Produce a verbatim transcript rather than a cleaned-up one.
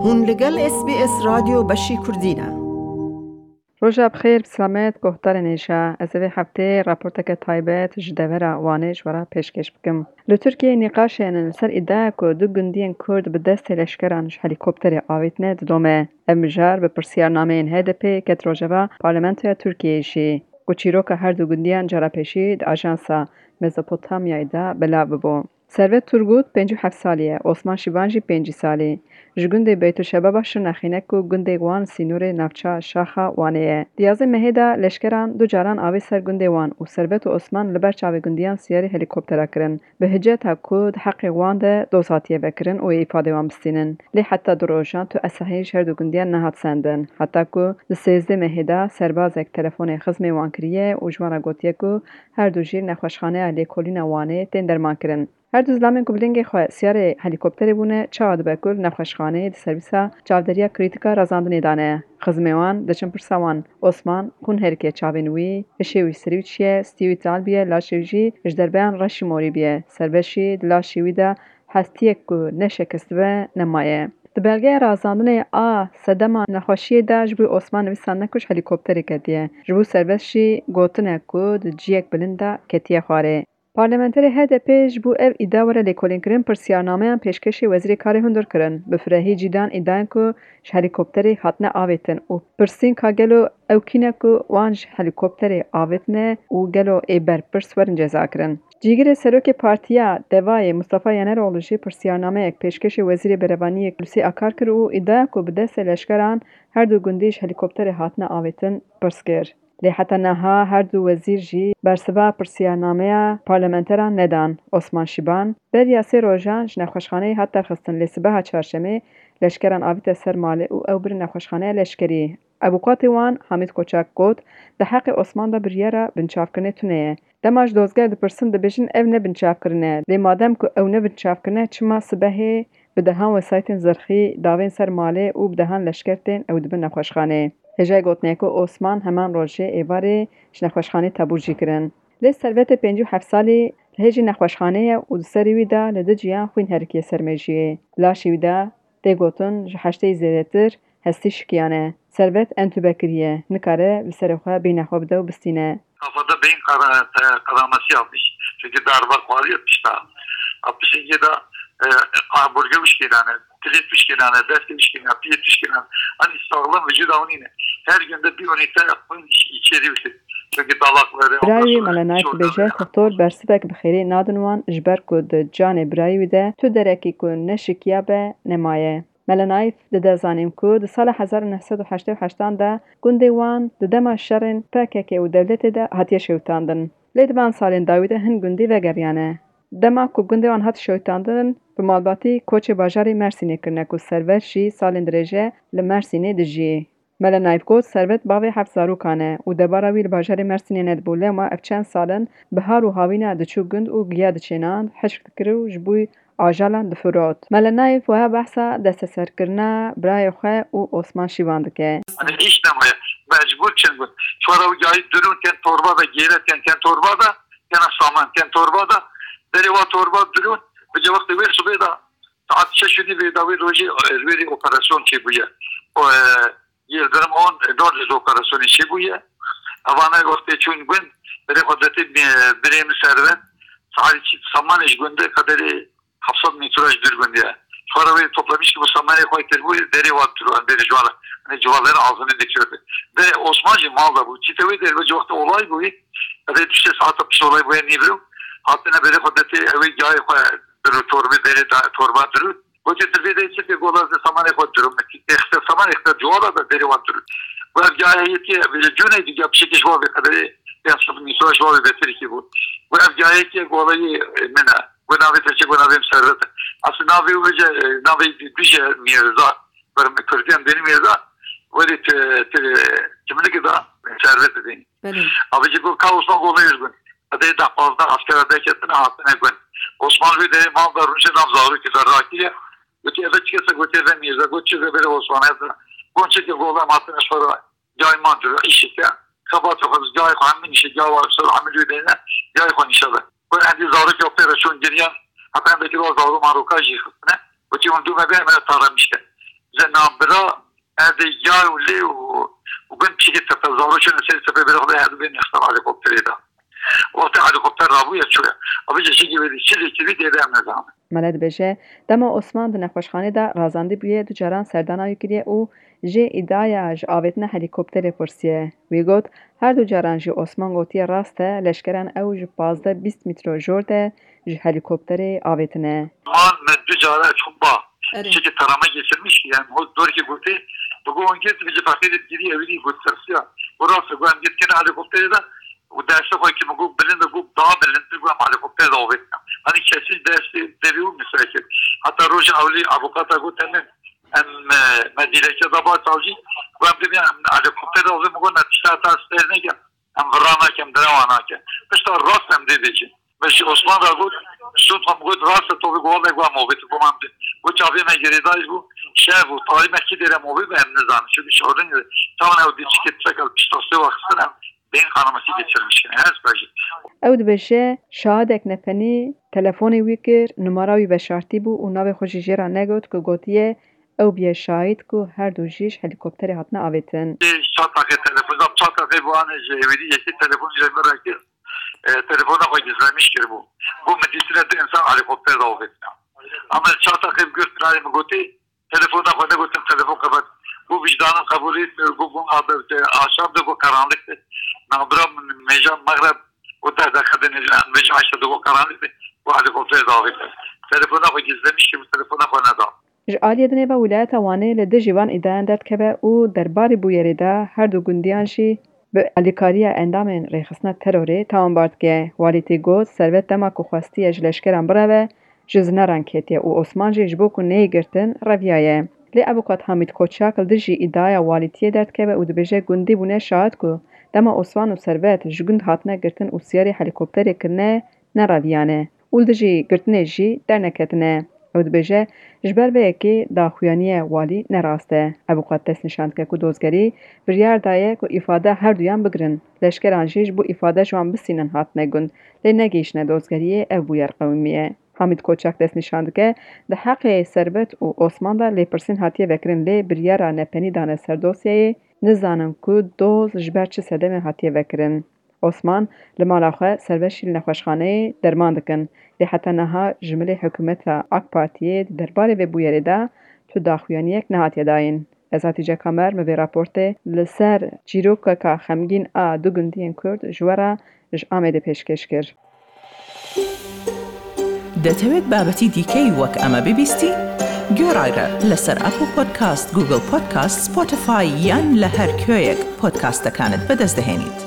Hûn li gel S B S Radyo Beşî Kurdî ne. Roja bi xêr, bi selamet, guhdarên hêja. Ez ê vê hefteyê raporteke taybet ji devera Wanê ji we re pêşkêş bikim. Li Tirkiyeyê nîqaşên li ser îdiaya ku du gundiyên Kurd bi destê leşkeran ji helîkopterê avêtine didome. Ev mijar bi pirsiyarnameyên H D P ket rojeva Parlamentoya Tirkiyeyê jî, ku çîroka her du gundiyan cara pêşî di ajansa Mezopotamyayê de belav bibû. Servet Turgut pêncî û heft salî ye, Osman Şiban jî pêncî salî. Ji gundê Beytulşebaba Şirnexê ne ku gundê wan sînorê navça Şaxa Wanê ye. Di yazê mehê de leşkeran du caran avê ser gundê wan û Servet û Osman li ber çavê gundiyan siyarî helîkoptera kirin. Bi hiceta ku di heqê wan de doz hatiye vekirin û ê îfadê wan bistînin. Lê heta du rojan tu esehî ji her du gundiyan nehat sendin. Heta ku di sêzdeh mehê de serbazek telefonê xizmê wan kiriye û ji wan re gotiye ku her du jî li nexweşxaneya lêkolîna Wanê tên dermankirin. Her du zilamên ku bi lingê xwe siyarê helîkopterê bûne, çawa dibe ku li nexweşxaneyê di servîsa çavderiya krîtîka razandinê de ne? Xizmê wan diçin pirsa wan. Osman xûn herike çavên wî, hişê wî serî wî çiye, stî wî tal bûye, laşê wî jî ji derbeyan reşî morî bûye. Servet jî di laşê wî de hestiyek ku neşekistibe nemaye. Di belgeya razandinê a sedema nexweşiyê de ji bo Osman nivîsandine ku ji helîkopterê ketiye. Ji bo Servet jî gotine ku di ciyek bilind de ketiye xwarê. Parlamenterê H D P ji bo ev îdia were lêkolînkirin pirsiyarnameyan pêşkêşî Wezîrê Karê Hundir kirin. Bi firehî cîdan îdiayan ku ji helîkopterê hatine avêtin û pirsîn ka gelo ew kî ne ku wan ji helîkopterê avêtine û gelo ê berpirs werin cezakirin. Cîgirê serokê Partiya Devayê Mustafa Yeneroğlu jî pirsiyarnameyek pêşkêşî Wezîrê Berevaniyê Hulusi Akar kir û îdiaya ku bi destê leşkeran her du gundî ji helîkopterê hatine avêtin pirs kir. Lê heta niha her du wezîr jî bersiva pirsiyarnameya parlamenteran nedan. Osman Şiban beriya sê rojan ji nexweşxaneyê hat derxistin, lê sibeha çarşemê leşkeran avîte ser malê û ew birin nexweşxaneya leşkerî. Avûkatê wan Hamîd Koçak got, di heqê Osman de biryara binçavkirinê tune ye. Dema ji dozger dipirsin, dibêjin ev ne binçavkirin e. Lê madem ku ew ne binçavkirin e, çima sibehê bi dehan wesayîtên zirxî davên ser malê û bi dehan leşker tên ew dibin nexweşxaneyê? Hêjayî gotinê ye ku Osman heman rojê êvarê ji nexweşxaneyê tebûr jî kirin. Lê Servetê pêncî û heft salî li hêjî nexweşxaneyê ye û di serê wî de li du ciyan xwîn herikiye ser mêjiyê. Laşê wî de tê gotin ji heştê zêdetir hestî şikiyane. Servet entûbe kiriye, nikare bi serê xwe bîna xwe bide û bistîne. Kafada beyin kara-, e, kanaması yapmış. Çünkü darbe yapmış da. Yapmış da, e, kaburga üç kere, yani, tilit üç kere, yani, dest üç kere, piyet üç kere. Hani sağlam vücut avnine. Her günde bir ünite yapmayın, iç-, içeri üstü. Çünkü dalakları, Birayê wî ondan sonra Mele Naif şuradan dibêje, doktor bersivek bi xêrê nadin wan, ji ber ku di canê birayê wî de tu derekî ku neşikiya be nemaye. Mele Naif dide zanîn ku di sala hezar û neh sed û heştê û heştan de gundê wan di dema şerên P K K û dewletê de hatiye şewitandin. Lê di van salên dawî de hin gundî vegeriyane. Dema ku gundê wan hat şewitandin, bi malbatî koçê bajarê Mersînê kirine ku Servet jî salên dirêj e li Mersînê dijî. Mele Naif got, Servet bavê heft zarokan e û debara wî li bajarê Mersînê nedibû. Lema ev çend sal in bi har û hawîna diçû gund û giya diçênand, hişk dikir û ji bo ajalan difirot. Mele Naif wiha behsa desteserkirina birayê xwe û Osman Şîvan dike. Hani hiç ne var. Mecbur çin bûn. Çora û gayî dirûn ken torba da, gêre ken, ken torba da, ken saman ken torba da. Derê wa torba dirûn. Bi cevaqtê wê sibê da saet şeş û nîvê da wê rojê, e, wê rê operasyon çêbûye. O, e, Yildirim on, e, dor ji operasyonê çêbûye. Evana wextê çûn gund, berê xwe detê, e, birê min Servet, saet çî samanê ji gundê qederê heft sed metre ji dûr gundê ye. Xwara wê toplamiş ki bu samanê xwe kir bû, derê wan tûr, derê ji wan re, hani civarların ağzını dikirdi. De Osman jî mal da bû. Çîte wê derê wê wextê olay bû, evê düşe saata pişt olay bûye nîvro. Hatine berê xwe detê, ew ê gayê xwe diru torbe derê da, torba diru. Gotê, tu vê de çi ke gola ze samanê xwe diru. Exte saman exte cuala da derê wan diru. Ve ev gayê yê ki, vê cûnê di gap çekiş wa vê qederê, ya sab nîso ji wa vê betir ki bû. Ve ev gayê ki gola yê, e, min e. Ve navê te çi, ve navê min Servet e. Asıl navê wê ce, e, navê dije Mirza. Ve min Kürdiyan beni Mirza. Ve de te, te, kimlik da Servet de beni. Belê. Abi ji bu kaosma gola yê gund. Qedê deh pazdeh askera derketine hatine gund. Osman wî de mal da rûnişe nav zarokê de rakiriye. Gotî, eve çi kese? Gotî, eve Mîrza. Got, çi ze bere Osman, eve. Got, çi ke gola matine şora, cay ma duru, îşike. Xebat xwe, cay xwe hem nîşe, cay wa şora hem wî de ne, cay xwe nîşe be. Got, endî zarokê pê re çûn giriyan, heta endekî wa zaro maroka jî xistine. Gotî, hûn dû me be, me taramişte. Ze na Bira, ez ê yar û lê û, û bin çîkê tepe zaro çûne serî tepe bira xwe her du bên nextar helikopterê de. Wextê helikopter rabûye çûye. Abi cê çîkê wê dî çi lê kirî dê de em nezanin. Mele dibêje, dema Osman di nexweşxanê de razandî bûye, du caran serdana wî kiriye û jê îdaya ji avêtina helîkopterê pirsiye. Wî got, her du caran jî Osman gotiye rast e, leşkeran ew ji pazdeh bîst mîtro jor de ji helîkopterê avêtine. Man me du cara çûn ba. Erê. Çekê tarama geçirmiş, yani o dorkê gotê, bi go on git, bi cifaqê de giriye, wî got tersiya. Bu rast e, got em git kene helikopterê de, û destê xwe ki min got bilind e, got daha bilindtir, got em helikopterê de avêtine. Hani kesî destê devê û misafir. Hatta roja ewlî avukata got, em, em, e, me dîleke da ba savcî, got em dibê em helikopterê de avê, min got ne tişta ta ser neke, em vira nake, em direwa nake. Pişta rast em dê bêjin. Me ji Osman ra got, şûn xwe min got, rast e, to bi got, wele got em avêtin, got em dê. Got çavê me girêdayî bû, şev û tarî me kî dêre em avê be, em nizanin. Çünkü şorin, tamam ew dî çikê tiştek el pişta sê wextin em Bên kanamasî geçirmiştin, ez bejî. Ew dibêje, şahidek nepenî telefonê wî kir, numara wî veşartî bû û navê xwe jî jê re negot ku gotiye, ew biye şahid ku her du jî ji helîkopterê hatine avêtin. Çar deqe telefon da, çar deqe bu anê ji êwî dî yekê telefonî ji min re kir. E, telefona xwe gizlemiş kiribû. Bû min dîtine du insan helîkopter de avêtine. Ama çar deqe bi gurt nayê min gotî, telefona xwe negotin, telefon qebet. Bû vicdanim qebûlî, bû bûn aşam de, bû karanlıktı. Nabra min mêja mexreb û deh deqe de nêzî, mêja eşte de bû karanlıktı. Bû helîkopter de avêtine. Telefona xwe gizlemiş kiribû, telefona xwe neda. Ji aliyê dinê ve Wîlayeta Wanê li dijî van îdayan derdikeve û derbarê bûyerê de her du gundiyan jî bi alîkariya endamên rêxistina terorê tawanbar dike. Walîtî got, Servet dema ku xwestiye ji leşkeran bireve, ji zineran ketiye û Osman jî ji bo ku neyê girtin, reviyaye. Lê avûkat Hamîd Koçak li dijî îdiaya walîtiyê derdikeve û dibêje, gundî bûne şahid ku dema Osman û Servet ji gund hatine girtin û siyarê helîkopterê kirine, nereviyane. Û li dijî girtinê jî derneketine. Ew dibêje, ji ber vê yekê daxuyaniye walî ne rast e. Evûkat destnîşan dike ku dozgerî biryar daye ku îfade her duyan bigirin. Leşkeran jî ji bo îfade ji wan bistînin hatine gund, lê negihîştine dozgeriyê, ev bûyer qewimiye. Hamîd Koçak destnîşan dike, di heqê Servet û Osman de lêpirsîn hatiye vekirin, lê biryara nepenî dane ser dosyayê, nizanin ku doz ji ber çi sedemê hatiye vekirin. Osman, li mala xwe, Servet jî li nexweşxaneyê derman dikin. Lê heta niha ji milê hikûmeta AK Partiyê di derbarê vê bûyerê de tu daxuyaniyek nehatiye dayîn. Ez Hatîce Kamer, min vê raportê li ser çîrokeka xemgîn a du gundiyên Kurd ji we re ji Amedê pêşkêş kir. دەتەوێت بابەتی دیکەی وەک ئەمە ببیستی؟ گوێڕایرە لەسەر ئەپڵ پۆدکاست، گوگڵ پۆدکاست، سپۆتیفای یان لە هەر کوێیەک پۆدکاستەکانت بەدەست دەهێنیت.